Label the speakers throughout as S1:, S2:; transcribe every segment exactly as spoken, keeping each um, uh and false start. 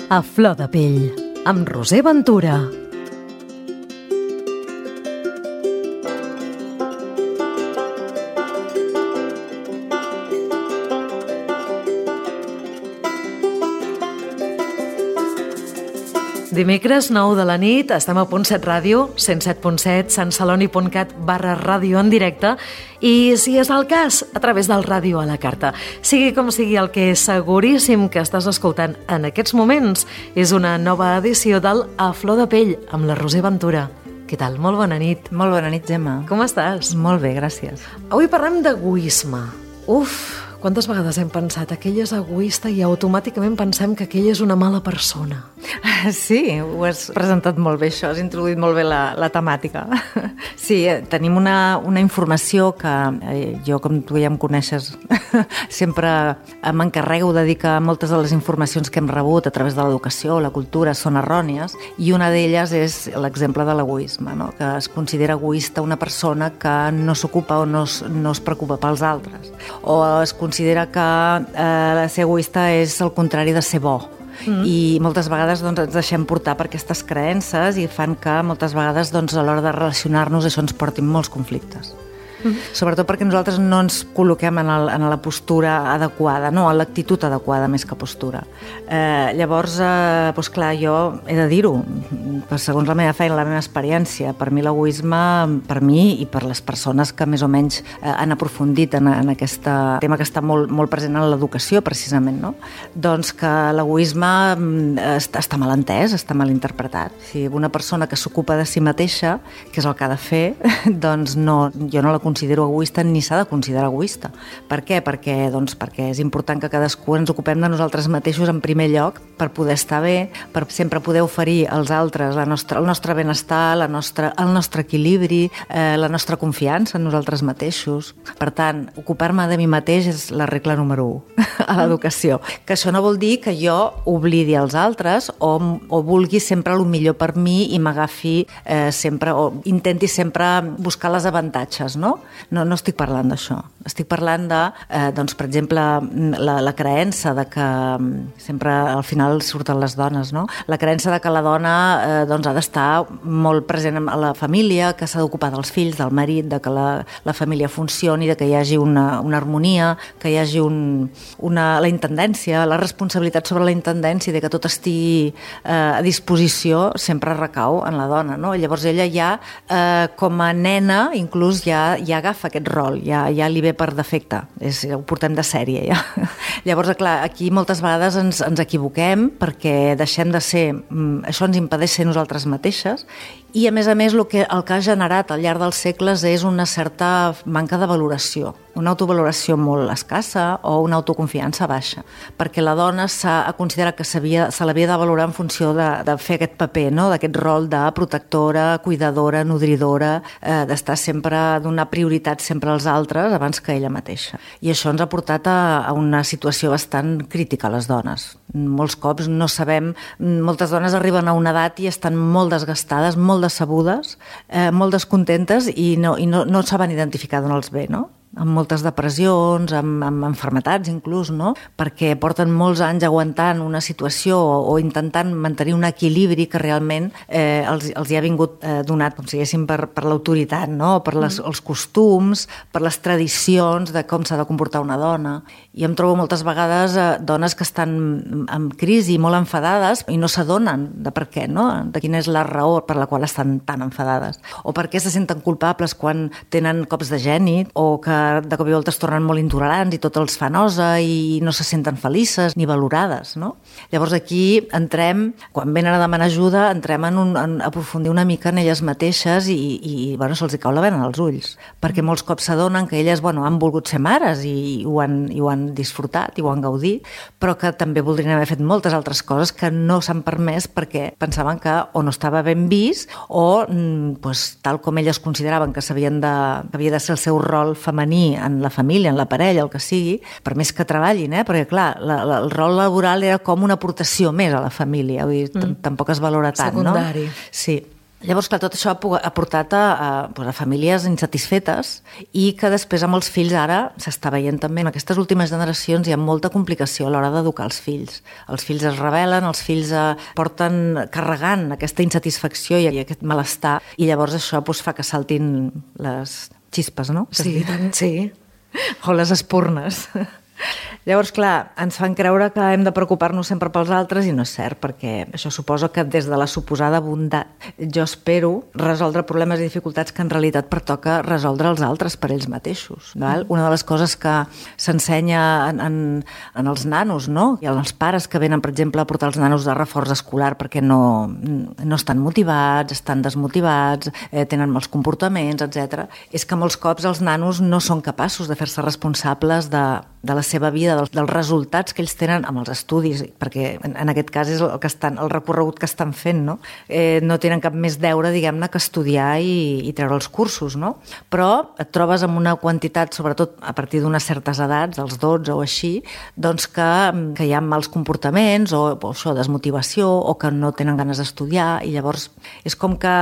S1: A flor de pell, amb Roser Ventura. Dimecres, nou de la nit, estem a Punt set Ràdio, cent set punt set, santceloni.cat barra ràdio en directe i, si és el cas, a través del ràdio a la carta. Sigui com sigui, el que és seguríssim que estàs escoltant en aquests moments és una nova edició del A Flor de Pell amb la Roser Ventura. Què tal? Molt bona nit.
S2: Molt bona nit, Gemma.
S1: Com estàs?
S2: Molt bé, gràcies.
S1: Avui parlem d'egoisme. Uf, quantes vegades hem pensat aquell és egoista i automàticament pensem que aquell és una mala persona.
S2: Sí, ho has presentat molt bé, això, has introduït molt bé la, la temàtica. Sí, tenim una, una informació que eh, jo, com tu ja em coneixes, sempre m'encarrego de dir que moltes de les informacions que hem rebut a través de l'educació o la cultura són errònies, i una d'elles és l'exemple de l'egoisme, no? Que es considera egoista una persona que no s'ocupa o no es, no es preocupa pels altres, o es considera que eh, ser egoista és el contrari de ser bo. Mm. I moltes vegades doncs, ens deixem portar per aquestes creences i fan que moltes vegades doncs, a l'hora de relacionar-nos això ens porti molts conflictes. Mm. Sobretot perquè nosaltres no ens col·loquem en, el, en la postura adequada, no, en l'actitud adequada més que postura. Eh, llavors, eh, doncs clar, jo he de dir-ho, segons la meva feina, la meva experiència, per mi l'egoisme, per mi i per les persones que més o menys eh, han aprofundit en, en aquest tema que està molt, molt present en l'educació, precisament, no? Doncs que l'egoisme eh, està, està mal entès, està mal interpretat. Si una persona que s'ocupa de si mateixa, que és el que ha de fer, doncs no, jo no la considero egoista ni s'ha de considerar egoista. Per què? Perquè, doncs, perquè és important que cadascú ens ocupem de nosaltres mateixos en primer lloc per poder estar bé, per sempre poder oferir als altres la nostra, el nostre benestar, la nostra, el nostre equilibri, eh, la nostra confiança en nosaltres mateixos. Per tant, ocupar-me de mi mateix és la regla número u a l'educació. Que això no vol dir que jo oblidi els altres o, o vulgui sempre el millor per mi i m'agafi eh, sempre, o intenti sempre buscar les avantatges, no? No, no estic parlant d'això. Estic parlant de, eh, doncs, per exemple, la, la creença de que sempre al final surten les dones, no? La creença de que la dona eh, doncs, ha d'estar molt present a la família, que s'ha d'ocupar dels fills, del marit, de que la, la família funcioni, de que hi hagi una, una harmonia, que hi hagi un, una, la intendència, la responsabilitat sobre la intendència, de que tot estigui eh, a disposició, sempre recau en la dona, no? Llavors ella ja, eh, com a nena, inclús ja ja agafa aquest rol, ja, ja li ve per defecte, és, ho portem de sèrie ja. Llavors, clar, aquí moltes vegades ens, ens equivoquem perquè deixem de ser, això ens impedeix ser nosaltres mateixes, i a més a més el que, el que ha generat al llarg dels segles és una certa manca de valoració, una autovaloració molt escassa o una autoconfiança baixa, perquè la dona s'ha considerat que se l'havia de valorar en funció de, de fer aquest paper, no? D'aquest rol de protectora, cuidadora, nodridora, eh, d'estar sempre, donar prioritat sempre als altres abans que ella mateixa. I això ens ha portat a, a una situació bastant crítica a les dones. Molts cops no sabem, moltes dones arriben a una edat i estan molt desgastades, molt decebudes, eh, molt descontentes i no, i no, no saben identificar d'on els ve, no? Amb moltes depressions, amb, amb enfermetats inclús, no? Perquè porten molts anys aguantant una situació o, o intentant mantenir un equilibri que realment eh, els, els hi ha vingut eh, donat, com si diguéssim, per, per l'autoritat, no? Per les, els costums, per les tradicions de com s'ha de comportar una dona. I em trobo moltes vegades eh, dones que estan en crisi, molt enfadades, i no s'adonen de per què, no? De quina és la raó per la qual estan tan enfadades. O per què se senten culpables quan tenen cops de gènit, o que de cop i volta es tornen molt intolerants i tot els fa nosa i no se senten felices ni valorades, no? Llavors aquí entrem, quan venen a demanar ajuda, entrem en, un, en aprofundir una mica en elles mateixes i, i bueno, se'ls cau la vena als ulls, perquè molts cops s'adonen que elles bueno, han volgut ser mares i, i, ho han, i ho han disfrutat i ho han gaudit, però que també voldrien haver fet moltes altres coses que no s'han permès perquè pensaven que o no estava ben vist o pues, tal com elles consideraven que s'havien de, que havia de ser el seu rol femení en la família, en la parella, el que sigui, per més que treballin, eh? Perquè clar, la, la, el rol laboral era com una aportació més a la família, vull dir, mm. tampoc es valora tant,
S1: secundari.
S2: No? Sí. Llavors, clar, tot això ha portat a, a, a famílies insatisfetes i que després amb els fills ara s'està veient també. En aquestes últimes generacions hi ha molta complicació a l'hora d'educar els fills. Els fills es rebel·len, els fills eh, porten carregant aquesta insatisfacció i aquest malestar i llavors això doncs, fa que saltin les xispes, no?
S1: Sí, tant, sí.
S2: O les espurnes. Llavors, clar, ens fan creure que hem de preocupar-nos sempre pels altres i no és cert, perquè això suposa que des de la suposada bondat jo espero resoldre problemes i dificultats que en realitat pertoca resoldre els altres per ells mateixos. Val? Una de les coses que s'ensenya en, en, en els nanos, no? I als pares que venen, per exemple, a portar els nanos de reforç escolar perquè no, no estan motivats, estan desmotivats, eh, tenen mals comportaments, etcètera, és que molts cops els nanos no són capaços de fer-se responsables de, de la seva vida, dels, dels resultats que ells tenen amb els estudis, perquè en, en aquest cas és el, que estan, el recorregut que estan fent, no? Eh, no tenen cap més deure, diguem-ne, que estudiar i, i treure els cursos, no? Però et trobes amb una quantitat, sobretot a partir d'unes certes edats, dels dotze o així, doncs que, que hi ha mals comportaments o, o això, desmotivació, o que no tenen ganes d'estudiar, i llavors és com que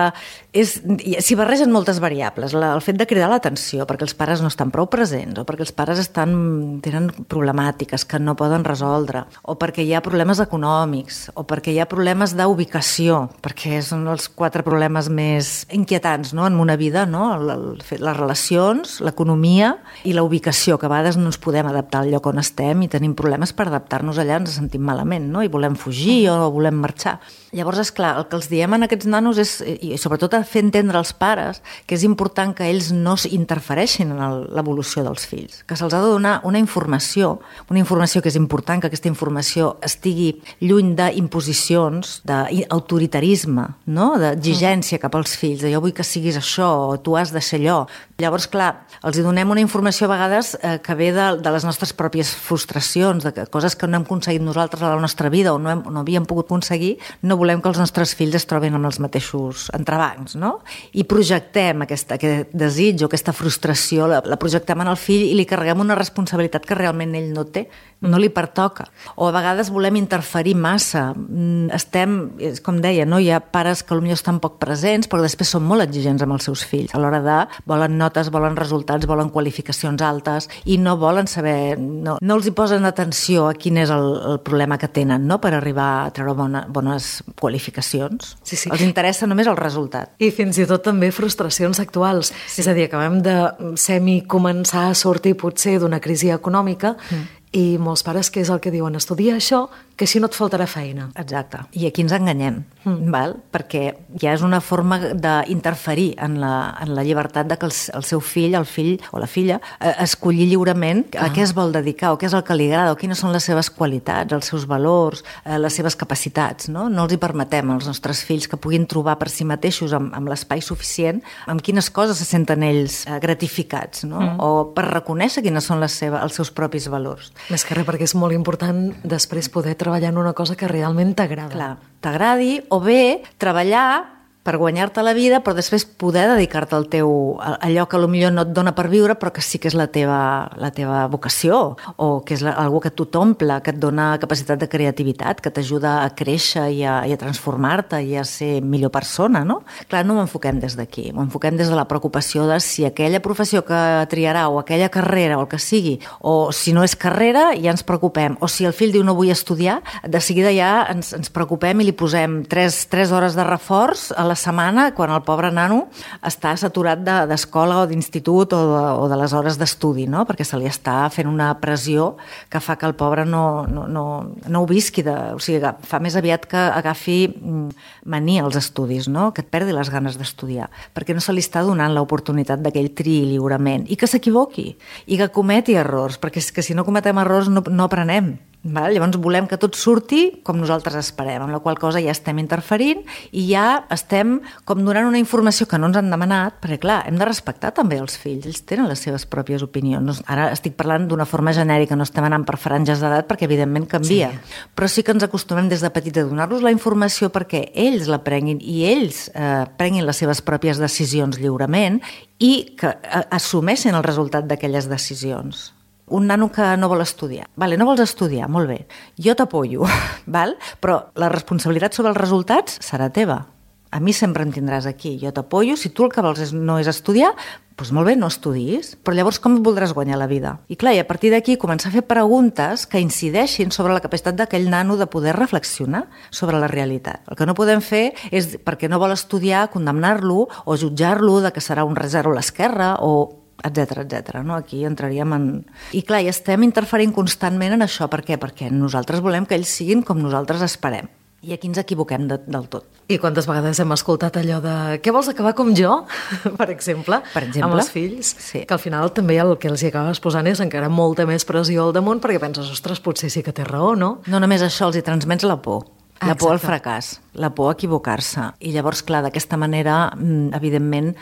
S2: és, s'hi barregen moltes variables. La, el fet de cridar l'atenció perquè els pares no estan prou presents o perquè els pares estan, tenen problemàtiques que no poden resoldre, o perquè hi ha problemes econòmics, o perquè hi ha problemes d'ubicació, perquè són els quatre problemes més inquietants, no?, en una vida, no?, el, el, les relacions, l'economia i la ubicació, que a vegades no ens podem adaptar al lloc on estem i tenim problemes per adaptar-nos allà, ens sentim malament, no?, i volem fugir o volem marxar. Llavors, és clar, el que els diem a aquests nanos és, i sobretot a fer entendre als pares, que és important que ells no interfereixin en l'evolució dels fills, que se'ls ha de donar una informació, una informació que és important, que aquesta informació estigui lluny d'imposicions, d'autoritarisme, no?, d'exigència cap als fills, de jo vull que siguis això, o tu has de ser allò. Llavors, clar, els donem una informació a vegades eh, que ve de, de les nostres pròpies frustracions, de que, coses que no hem aconseguit nosaltres a la nostra vida o no, hem, no havíem pogut aconseguir, no volem que els nostres fills es trobin amb els mateixos entrebancs, no? I projectem aquesta, aquest desig o aquesta frustració, la, la projectem en el fill i li carreguem una responsabilitat que realment ell no té, no li pertoca. O a vegades volem interferir massa. Estem, com deia, no? Hi ha pares que potser estan poc presents, però després són molt exigents amb els seus fills. A l'hora de volen notes, volen resultats, volen qualificacions altes i no volen saber, no, no els hi posen atenció a quin és el, el problema que tenen, no?, per arribar a treure bona, bones qualificacions.
S1: Sí, sí.
S2: Els interessa només el resultat.
S1: I fins i tot també frustracions actuals. Sí. És a dir, acabem de semi començar a sortir potser d'una crisi econòmica mm. i molts pares, què és el que diuen? Estudia això, que així no et faltarà feina.
S2: Exacte. I aquí ens enganyem, mm. val? Perquè ja és una forma d'interferir en la, en la llibertat de que el, el seu fill, el fill o la filla, eh, escollir lliurement ah. a què es vol dedicar, o què és el que li agrada, o quines són les seves qualitats, els seus valors, eh, les seves capacitats, no? No els hi permetem als nostres fills que puguin trobar per si mateixos, amb, amb l'espai suficient, amb quines coses se senten ells eh, gratificats, no? Mm. O per reconèixer quines són les seves, els seus propis valors.
S1: Més que res, perquè és molt important després poder treballar en una cosa que realment t'agrada.
S2: Clar, t'agradi, o bé treballar per guanyar-te la vida, però després poder dedicar-te al teu, a allò que potser no et dona per viure, però que sí que és la teva, la teva vocació, o que és la, algo que tu t'omple, que et dona capacitat de creativitat, que t'ajuda a créixer i a, i a transformar-te i a ser millor persona, no? Clar, no m'enfoquem des d'aquí, m'enfoquem des de la preocupació de si aquella professió que triarà, o aquella carrera, o el que sigui, o si no és carrera, ja ens preocupem, o si el fill diu no vull estudiar, de seguida ja ens, ens preocupem i li posem tres, tres hores de reforç a la setmana quan el pobre nano està saturat d'escola o d'institut o, de, o de les hores d'estudi, no? Perquè se li està fent una pressió que fa que el pobre no, no, no, no ho visqui, de, o sigui, fa més aviat que agafi mania als estudis, no? Que et perdi les ganes d'estudiar, perquè no se li està donant l'oportunitat d'aquell triï lliurement i que s'equivoqui i que cometi errors, perquè és que si no cometem errors no, no aprenem. Val? Llavors volem que tot surti com nosaltres esperem, amb la qual cosa ja estem interferint i ja estem com donant una informació que no ens han demanat, perquè clar, hem de respectar també els fills, ells tenen les seves pròpies opinions. Ara estic parlant d'una forma genèrica, no estem anant per franges d'edat perquè evidentment canvia, sí. Però sí que ens acostumem des de petits a donar-los la informació perquè ells la prenguin i ells eh, prenguin les seves pròpies decisions lliurement i que eh, assumeixin el resultat d'aquelles decisions. Un nano que no vol estudiar. Vale, no vols estudiar, molt bé. Jo t'apoyo, val? Però la responsabilitat sobre els resultats serà teva. a mi sempre em tindràs aquí, jo t'apoyo, si tu el que vols és, no és estudiar, doncs molt bé, no estudis, però llavors com et voldràs guanyar la vida? I clar, i a partir d'aquí començar a fer preguntes que incideixin sobre la capacitat d'aquell nano de poder reflexionar sobre la realitat. El que no podem fer és, perquè no vol estudiar, condemnar-lo o jutjar-lo de que serà un zero a l'esquerra o etcètera, etcètera. No? Aquí entraríem en... I clar, i estem interferint constantment en això. Per què? Perquè nosaltres volem que ells siguin com nosaltres esperem. I aquí ens equivoquem de, del tot.
S1: I quantes vegades hem escoltat allò de què vols acabar com jo, per exemple,
S2: per exemple?
S1: amb els fills,
S2: sí.
S1: Que al final també el que els hi acabes posant és encara molta més pressió al damunt perquè penses, ostres, potser sí que té raó, no?
S2: No només això, els hi transmets la por. La
S1: Exacte.
S2: por al fracàs, la por a equivocar-se. I llavors, clar, d'aquesta manera, evidentment,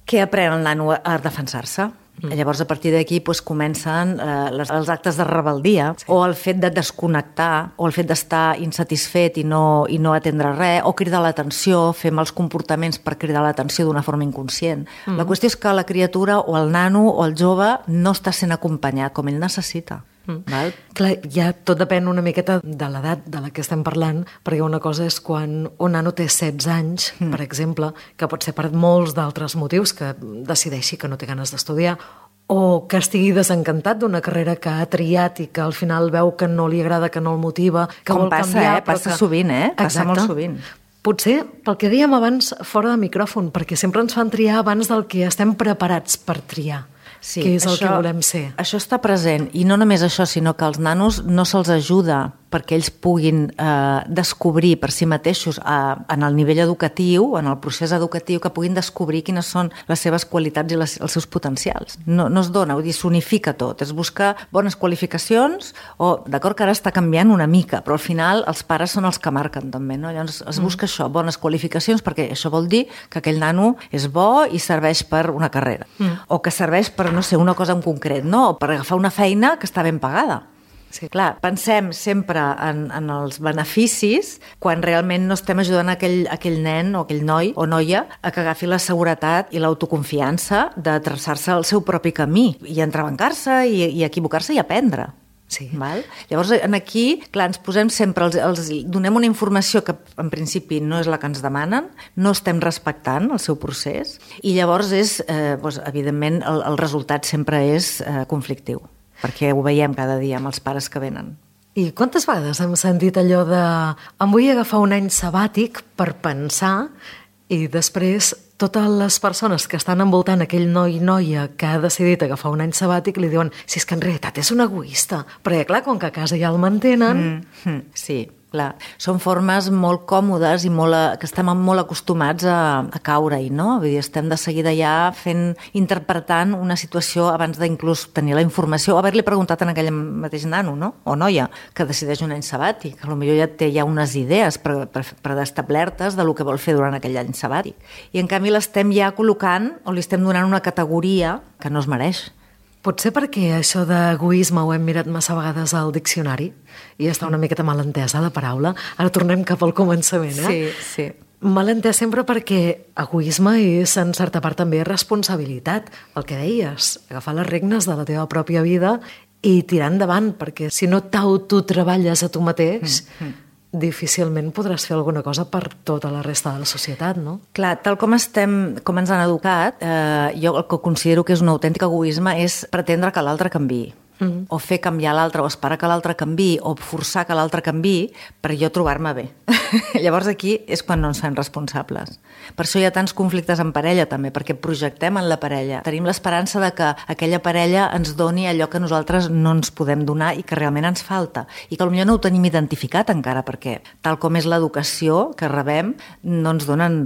S2: què aprèn el nano a defensar-se? Mm. Llavors, a partir d'aquí doncs, comencen eh, les, els actes de rebeldia, sí. O el fet de desconnectar, o el fet d'estar insatisfet i no, i no atendre res, o cridar l'atenció, fer mals comportaments per cridar l'atenció d'una forma inconscient. Mm. La qüestió és que la criatura, o el nano, o el jove, no està sent acompanyat com ell necessita.
S1: Mm. Val? Clar, ja tot depèn una miqueta de l'edat de la que estem parlant, perquè una cosa és quan un nano té setze anys, mm. per exemple, que pot ser per molts d'altres motius, que decideixi que no té ganes d'estudiar, o que estigui desencantat d'una carrera que ha triat i que al final veu que no li agrada, que no el motiva, que
S2: Com
S1: vol
S2: passa,
S1: canviar...
S2: eh? Passa
S1: que...
S2: sovint, eh? Passa
S1: Exacte.
S2: molt sovint.
S1: Potser pel que dèiem abans fora de micròfon, perquè sempre ens fan triar abans del que estem preparats per triar.
S2: Sí,
S1: que és el
S2: això,
S1: que volem ser.
S2: Això està present, i no només això, sinó que els nanos no se'ls ajuda perquè ells puguin eh, descobrir per si mateixos eh, en el nivell educatiu, en el procés educatiu, que puguin descobrir quines són les seves qualitats i les, els seus potencials. No, no es dona, vull dir, s'unifica tot. Es busca bones qualificacions, o d'acord que ara està canviant una mica, però al final els pares són els que marquen també, no? Llavors es busca mm. això, bones qualificacions, perquè això vol dir que aquell nano és bo i serveix per una carrera, mm. o que serveix per, no sé, una cosa en concret, no? O per agafar una feina que està ben pagada. Sí. Clar, pensem sempre en, en els beneficis quan realment no estem ajudant aquell, aquell nen o aquell noi o noia a que agafi la seguretat i l'autoconfiança de traçar-se el seu propi camí i entrebancar-se i, i equivocar-se i aprendre.
S1: Sí.
S2: Val? Llavors, aquí, clar, ens posem sempre, els, els donem una informació que en principi no és la que ens demanen, no estem respectant el seu procés i llavors és, eh, doncs, evidentment, el, el resultat sempre és eh, conflictiu, perquè ho veiem cada dia amb els pares que venen.
S1: I quantes vegades hem sentit allò de em vull agafar un any sabàtic per pensar i després totes les persones que estan envoltant aquell noi i noia que ha decidit agafar un any sabàtic li diuen si és que en realitat és un egoista, perquè clar, com que a casa ja el mantenen...
S2: Mm, mm, sí, clar. Són formes molt còmodes i molt, que estem molt acostumats a, a caure-hi, no? Vull dir, estem de seguida ja fent, interpretant una situació abans d'inclús tenir la informació o haver-li preguntat a aquell mateix nano, no? O noia, que decideix un any sabàtic, que potser ja té ja unes idees predestablertes de lo que vol fer durant aquell any sabàtic. I en canvi l'estem ja col·locant o li estem donant una categoria que no es mereix.
S1: Potser perquè això d'egoisme ho hem mirat massa vegades al diccionari i està una miqueta mal entesa la paraula. Ara tornem cap al començament, eh?
S2: Sí, sí.
S1: Mal entès sempre perquè egoisme és, en certa part, també responsabilitat. El que deies, agafar les regnes de la teva pròpia vida i tirar endavant, perquè si no t'autotreballes a tu mateix... Mm-hmm. difícilment podràs fer alguna cosa per tota la resta de la societat, no?
S2: Clar, tal com estem, com ens han educat, eh, jo el que considero que és un autèntic egoisme és pretendre que l'altre canviï. Mm. O fer canviar l'altre, o esperar que l'altre canviï, o forçar que l'altre canviï per jo trobar-me bé. Llavors aquí és quan no ens fem responsables. Per això hi ha tants conflictes en parella també, perquè projectem en la parella. Tenim l'esperança de que aquella parella ens doni allò que nosaltres no ens podem donar i que realment ens falta. I que potser no ho tenim identificat encara, perquè tal com és l'educació que rebem, no ens donen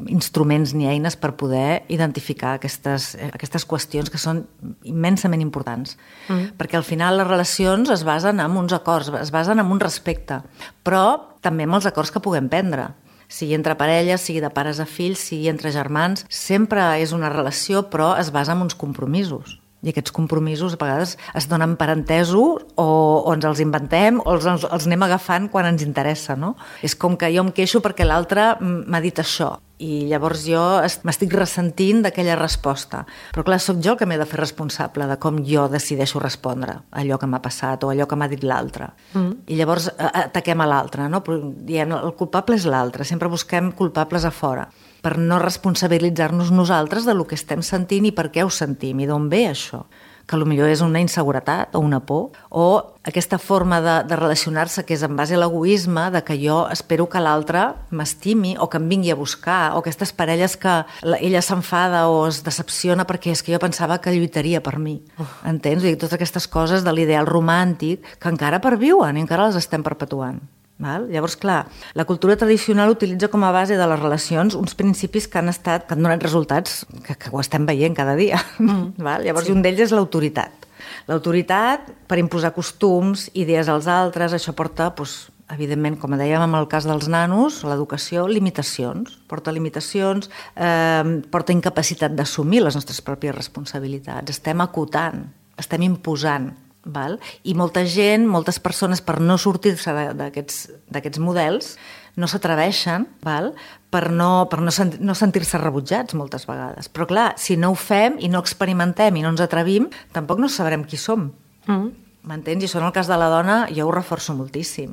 S2: instruments ni eines per poder identificar aquestes, aquestes qüestions que són immensament importants. Mm. Perquè al final les relacions es basen en uns acords, es basen en un respecte, però també amb els acords que puguem prendre. Sigui entre parelles, sigui de pares a fills, sigui entre germans, sempre és una relació, però es basa en uns compromisos. I aquests compromisos a vegades es donen per entesos o, o ens els inventem o els, els, els anem agafant quan ens interessa, no? És com que jo em queixo perquè l'altre m'ha dit això i llavors jo m'estic ressentint d'aquella resposta. Però clar, sóc jo el que m'he de fer responsable de com jo decideixo respondre a allò que m'ha passat o a allò que m'ha dit l'altre. Mm. I llavors ataquem a l'altre, no? Però diem, el culpable és l'altre, sempre busquem culpables a fora, per no responsabilitzar-nos nosaltres de lo que estem sentint i per què ho sentim i d'on ve això. Que potser és una inseguretat o una por, o aquesta forma de, de relacionar-se que és en base a l'egoisme, de que jo espero que l'altre m'estimi o que em vingui a buscar, o aquestes parelles que ella s'enfada o es decepciona perquè és que jo pensava que lluitaria per mi. Uh. Entens? I totes aquestes coses de l'ideal romàntic que encara perviuen i encara les estem perpetuant. Val? Llavors, clar, la cultura tradicional utilitza com a base de les relacions uns principis que han estat, que han donat resultats que, que ho estem veient cada dia. Mm. Val? Llavors, sí. Un d'ells és l'autoritat. L'autoritat per imposar costums, idees als altres, això porta, doncs, evidentment, com dèiem en el cas dels nanos, l'educació, limitacions. Porta limitacions, eh, porta incapacitat d'assumir les nostres pròpies responsabilitats. Estem acotant, estem imposant. Val? I molta gent, moltes persones, per no sortir-se d'aquests models, no s'atreveixen, val? per no, per no, sent, no sentir-se rebutjats moltes vegades. Però clar, si no ho fem i no experimentem i no ens atrevim, tampoc no sabrem qui som. Mm. M'entens? I això en el cas de la dona jo ho reforço moltíssim.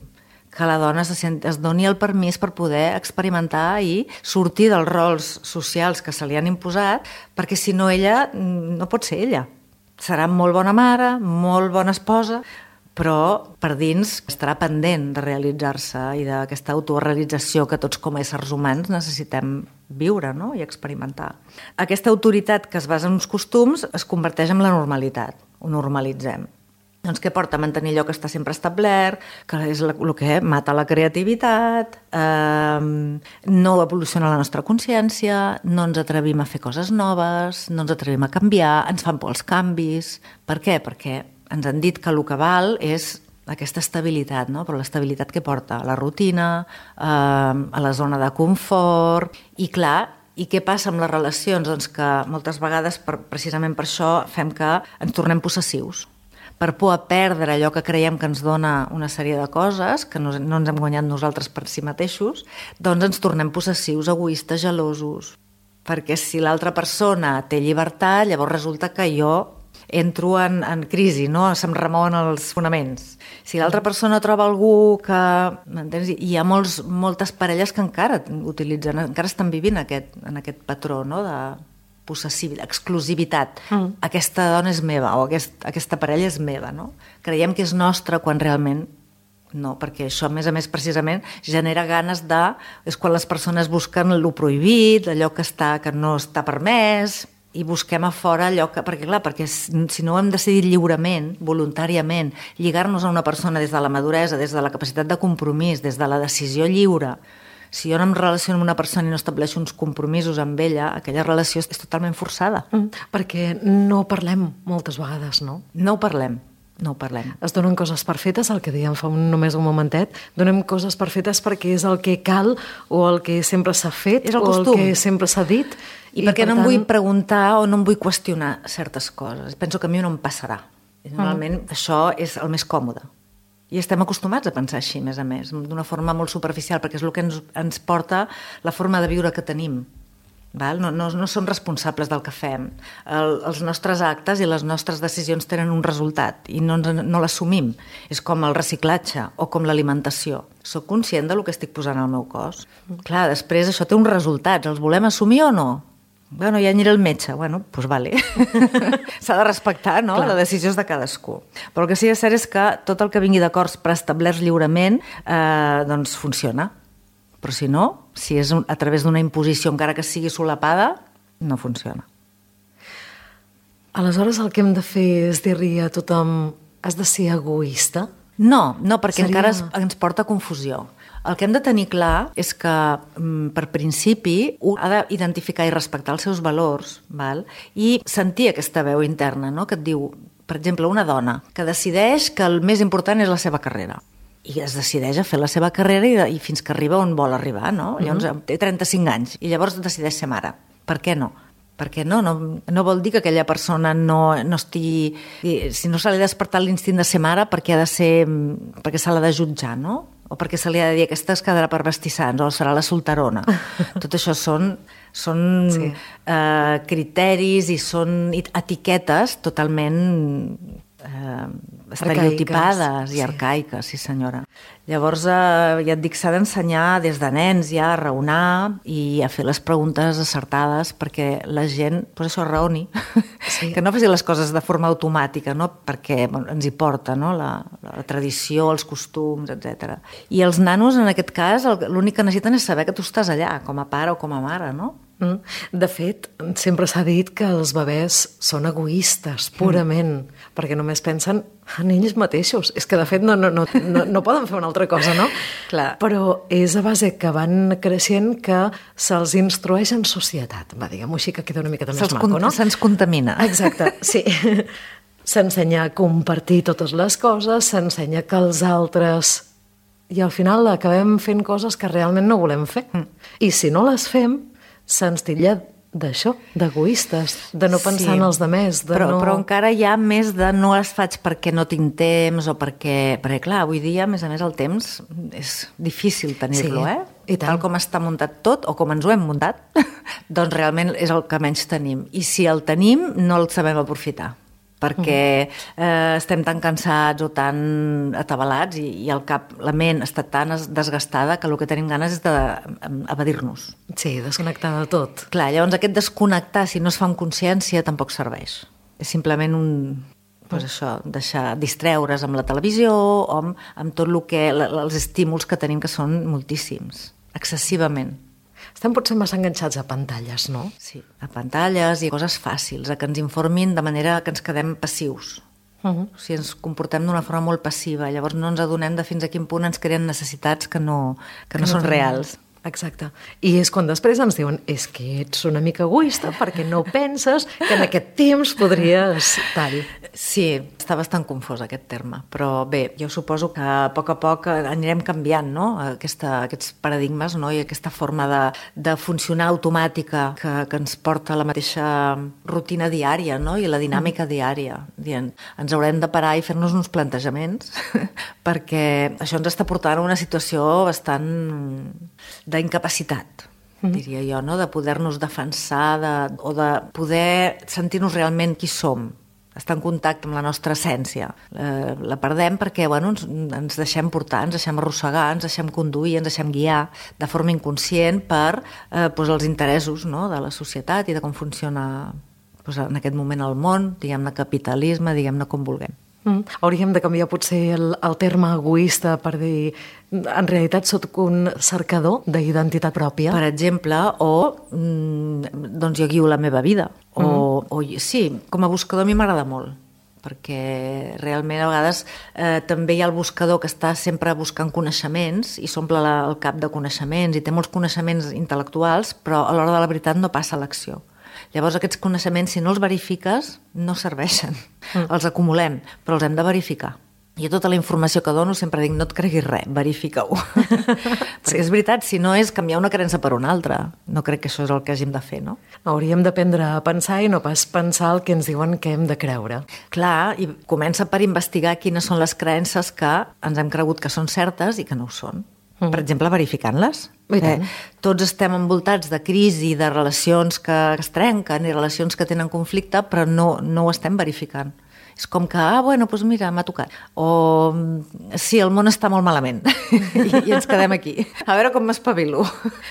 S2: Que la dona se sent, es doni el permís per poder experimentar i sortir dels rols socials que se li han imposat, perquè si no ella no pot ser ella. Serà molt bona mare, molt bona esposa, però per dins estarà pendent de realitzar-se i d'aquesta autorealització que tots com a éssers humans necessitem viure, no? I experimentar. Aquesta autoritat que es basa en uns costums es converteix en la normalitat, ho normalitzem. Doncs què porta? Mantenir allò que està sempre establert, que és el que mata la creativitat, eh, no evoluciona la nostra consciència, no ens atrevim a fer coses noves, no ens atrevim a canviar, ens fan por els canvis. Per què? Perquè ens han dit que el que val és aquesta estabilitat, no? Però l'estabilitat que porta? La rutina, eh, a la zona de confort, i clar, i què passa amb les relacions? Doncs que moltes vegades, per, precisament per això, fem que ens tornem possessius. Per por a perdre allò que creiem que ens dona una sèrie de coses, que no, no ens hem guanyat nosaltres per si mateixos, doncs ens tornem possessius, egoistes, gelosos. Perquè si l'altra persona té llibertat, llavors resulta que jo entro en, en crisi, no? Se'm remouen els fonaments. Si l'altra persona troba algú que... M'entens? Hi ha molts, moltes parelles que encara utilitzen, encara estan vivint aquest, en aquest patró, no? De possessivitat, exclusivitat. Mm. Aquesta dona és meva o aquest, aquesta parella és meva, no? Creiem que és nostra quan realment no, perquè això, a més a més, precisament genera ganes de... És quan les persones busquen el prohibit, allò que, està, que no està permès, i busquem a fora allò que... Perquè, clar, perquè si no ho hem decidit lliurement, voluntàriament, lligar-nos a una persona des de la maduresa, des de la capacitat de compromís, des de la decisió lliure. Si jo no em relaciono amb una persona i no estableixo uns compromisos amb ella, aquella relació és totalment forçada.
S1: Mm, perquè no parlem moltes vegades, no?
S2: No ho parlem, no ho parlem.
S1: Es donen coses per fetes, el que dèiem fa un, només un momentet, donem coses per fetes perquè és el que cal o el que sempre s'ha fet
S2: és el
S1: o
S2: costum.
S1: El que sempre s'ha dit.
S2: I, I perquè per no tant... em vull preguntar o no em vull qüestionar certes coses. Penso que a mi no em passarà. I normalment mm. això és el més còmode. I estem acostumats a pensar així, més a més, d'una forma molt superficial, perquè és el que ens, ens porta la forma de viure que tenim. Val? No, no, no som responsables del que fem. El, els nostres actes i les nostres decisions tenen un resultat i no, no l'assumim. És com el reciclatge o com l'alimentació. Soc conscient del que estic posant al meu cos. Clar, després això té uns resultats. Els volem assumir o no? Bueno, ja aniré al metge. Bueno, doncs vale. S'ha de respectar, no? Clar. La decisió és de cadascú. Però el que sí que és cert és que tot el que vingui d'acords preestablerts lliurement eh, doncs funciona. Però si no, si és a través d'una imposició, encara que sigui solapada, no funciona.
S1: Aleshores el que hem de fer és dir-li a tothom has de ser egoista?
S2: No, no, perquè Seria... encara es, ens porta a confusió. El que hem de tenir clar és que, per principi, un ha d'identificar i respectar els seus valors, val? I sentir aquesta veu interna, no? Que et diu, per exemple, una dona que decideix que el més important és la seva carrera. I es decideix a fer la seva carrera i, i fins que arriba on vol arribar, no? Mm-hmm. Llavors té trenta-cinc anys i llavors decideix ser mare. Per què no? perquè no, no, no vol dir que aquella persona no, no estigui... Si no se li ha despertat l'instint de ser mare, perquè ha de ser... perquè se l'ha de jutjar, no? O perquè se li ha de dir aquesta es quedarà per vestir sants, o serà la solterona. Tot això són, són sí. eh, criteris i són etiquetes totalment... Eh, estereotipades i sí. arcaiques, sí senyora. Llavors, eh, ja et dic, s'ha d'ensenyar des de nens ja a raonar i a fer les preguntes acertades perquè la gent, per això raoni, sí. que no faci les coses de forma automàtica, no? Perquè bueno, ens hi porta, no? la, la tradició, els costums, etcètera. I els nanos, en aquest cas, l'únic que necessiten és saber que tu estàs allà, com a pare o com a mare, no?
S1: De fet, sempre s'ha dit que els bebès són egoistes, purament, mm. perquè només pensen en ells mateixos. És que, de fet, no, no, no, no, no poden fer una altra cosa, no?
S2: Clar.
S1: Però és a base que van creixent que se'ls instrueix en societat. Va, diguem-ho així, que queda una miqueta més maco, no?
S2: Se'ns contamina.
S1: Exacte, sí. S'ensenya a compartir totes les coses, s'ensenya que els altres... I al final acabem fent coses que realment no volem fer. Mm. I si no les fem, se'ns titlla d'això, d'egoistes, de no pensar sí, en els demés. De
S2: però,
S1: no...
S2: però encara hi ha més de no les faig perquè no tinc temps o perquè... Perquè, clar, avui dia, a més a més, el temps és difícil tenir-lo, sí, eh? I tal com està muntat tot, o com ens ho hem muntat, doncs realment és el que menys tenim. I si el tenim, no el sabem aprofitar, perquè eh, estem tan cansats o tan atabalats i, i el cap, la ment està tan desgastada que el que tenim ganes és d'evadir-nos.
S1: Sí, desconnectar de tot.
S2: Clar, llavors aquest desconnectar, si no es fa amb consciència, tampoc serveix. És simplement un... Pues això, deixar distreure's amb la televisió o amb, amb tot el que, els estímuls que tenim, que són moltíssims, excessivament.
S1: Estem potser massa enganxats a pantalles, no?
S2: Sí, a pantalles i coses fàcils, a que ens informin de manera que ens quedem passius. Uh-huh. O sigui, ens comportem d'una forma molt passiva, llavors no ens adonem de fins a quin punt ens creen necessitats que no, que que no, no són reals.
S1: Exacte. I és quan després ens diuen és que ets una mica egoista perquè no penses que en aquest temps podries tal.
S2: Sí, està bastant confós aquest terme, però bé, jo suposo que a poc a poc anirem canviant, no? Aquesta, aquests paradigmes, no? I aquesta forma de, de funcionar automàtica que, que ens porta a la mateixa rutina diària, no? I la dinàmica mm. diària. Dient, ens haurem de parar i fer-nos uns plantejaments perquè això ens està portant a una situació bastant d'incapacitat, mm-hmm. diria jo, no? De poder-nos defensar de, o de poder sentir-nos realment qui som, estar en contacte amb la nostra essència. Eh, la perdem perquè bueno, ens, ens deixem portar, ens deixem arrossegar, ens deixem conduir, ens deixem guiar de forma inconscient per eh, doncs els interessos, no? De la societat i de com funciona doncs, en aquest moment el món, diguem-ne capitalisme, diguem-ne com vulguem.
S1: Mm. Hauríem de canviar potser el, el terme egoista per dir en realitat soc un cercador d'identitat pròpia.
S2: Per exemple, o mm, doncs jo guio la meva vida. O, mm. o sí, com a buscador a mi m'agrada molt, perquè realment a vegades eh, també hi ha el buscador que està sempre buscant coneixements i s'omple la, el cap de coneixements i té molts coneixements intel·lectuals, però a l'hora de la veritat no passa a l'acció. Llavors aquests coneixements, si no els verifiques, no serveixen. Mm. Els acumulem, però els hem de verificar. I a tota la informació que dono sempre dic, no et creguis res, verifica-ho. Perquè sí. És veritat, si no és canviar una creença per una altra. No crec que això és el que hàgim de fer, no?
S1: Hauríem d'aprendre a pensar i no pas pensar el que ens diuen que hem de creure.
S2: Clar, i comença per investigar quines són les creences que ens hem cregut que són certes i que no ho són. Mm. Per exemple, verificant-les. Eh, tots estem envoltats de crisi, de relacions que es trenquen i relacions que tenen conflicte, però no, no ho estem verificant. És com que, ah, bueno, doncs mira, m'ha tocat. O, sí, el món està molt malament. I, I ens quedem aquí. A veure com m'espavilo.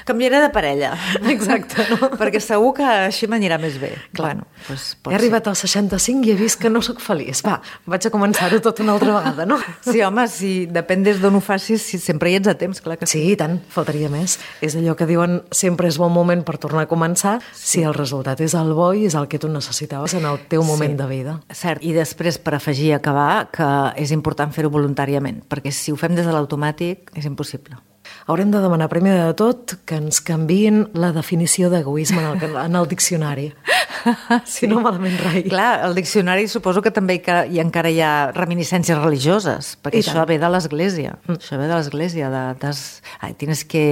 S2: Canviaré de parella.
S1: Exacte, no?
S2: Perquè segur que així m'anirà més bé.
S1: Clar, bueno, doncs he arribat als seixanta-cinc i he vist que no sóc feliç. Va, vaig a començar-ho tot una altra vegada, no?
S2: Sí, home, si depèn des d'on ho facis, si sempre hi ets a temps, clar que
S1: sí. Sí, tant, faltaria més. És allò que diuen, sempre és bon moment per tornar a començar, sí. Si el resultat és el bo i és el que tu necessitaves en el teu moment sí. de vida.
S2: Cert, i després Després, per afegir i acabar, que és important fer-ho voluntàriament, perquè si ho fem des de l'automàtic és impossible.
S1: Haurem de demanar primer de tot que ens canviïn la definició d'egoisme en el, en el diccionari.
S2: Sí.
S1: Si no, malament rai.
S2: Clar, al diccionari suposo que també que hi, encara hi ha reminiscències religioses, perquè
S1: I
S2: això
S1: tant.
S2: ve de l'Església. Mm. Això ve de l'Església. De, des, ai, tienes que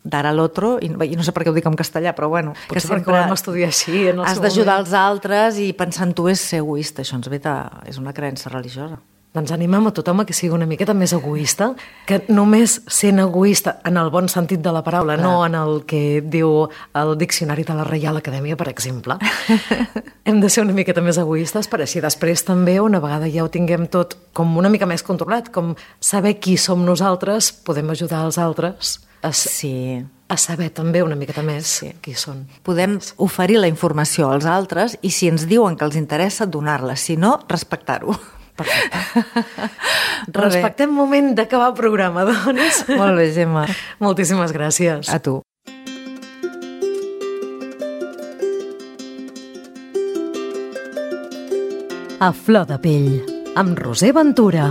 S2: dar al otro, i, i no sé per què ho dic en castellà, però bueno.
S1: Potser que perquè ho vam estudiar així en el
S2: has
S1: seu
S2: d'ajudar
S1: moment.
S2: els altres i pensar en tu és ser egoista. Això ens ve de, és una creença religiosa.
S1: Doncs animem a tothom a que sigui una miqueta més egoista, que només sent egoista en el bon sentit de la paraula, Clar. no en el que diu el diccionari de la Reial Acadèmia, per exemple. Hem de ser una miqueta més egoistes per així després també, una vegada ja ho tinguem tot com una mica més controlat, com saber qui som nosaltres, podem ajudar els altres a,
S2: Sí.
S1: a saber també una miqueta més
S2: Sí.
S1: qui són.
S2: Podem oferir la informació als altres i si ens diuen que els interessa, donar-la. Si no, respectar-ho.
S1: Perfecte. Respectem moment d'acabar el programa, doncs.
S2: Molt bé, Gemma.
S1: Moltíssimes gràcies.
S2: A tu.
S1: A flor de pell, amb Roser Ventura.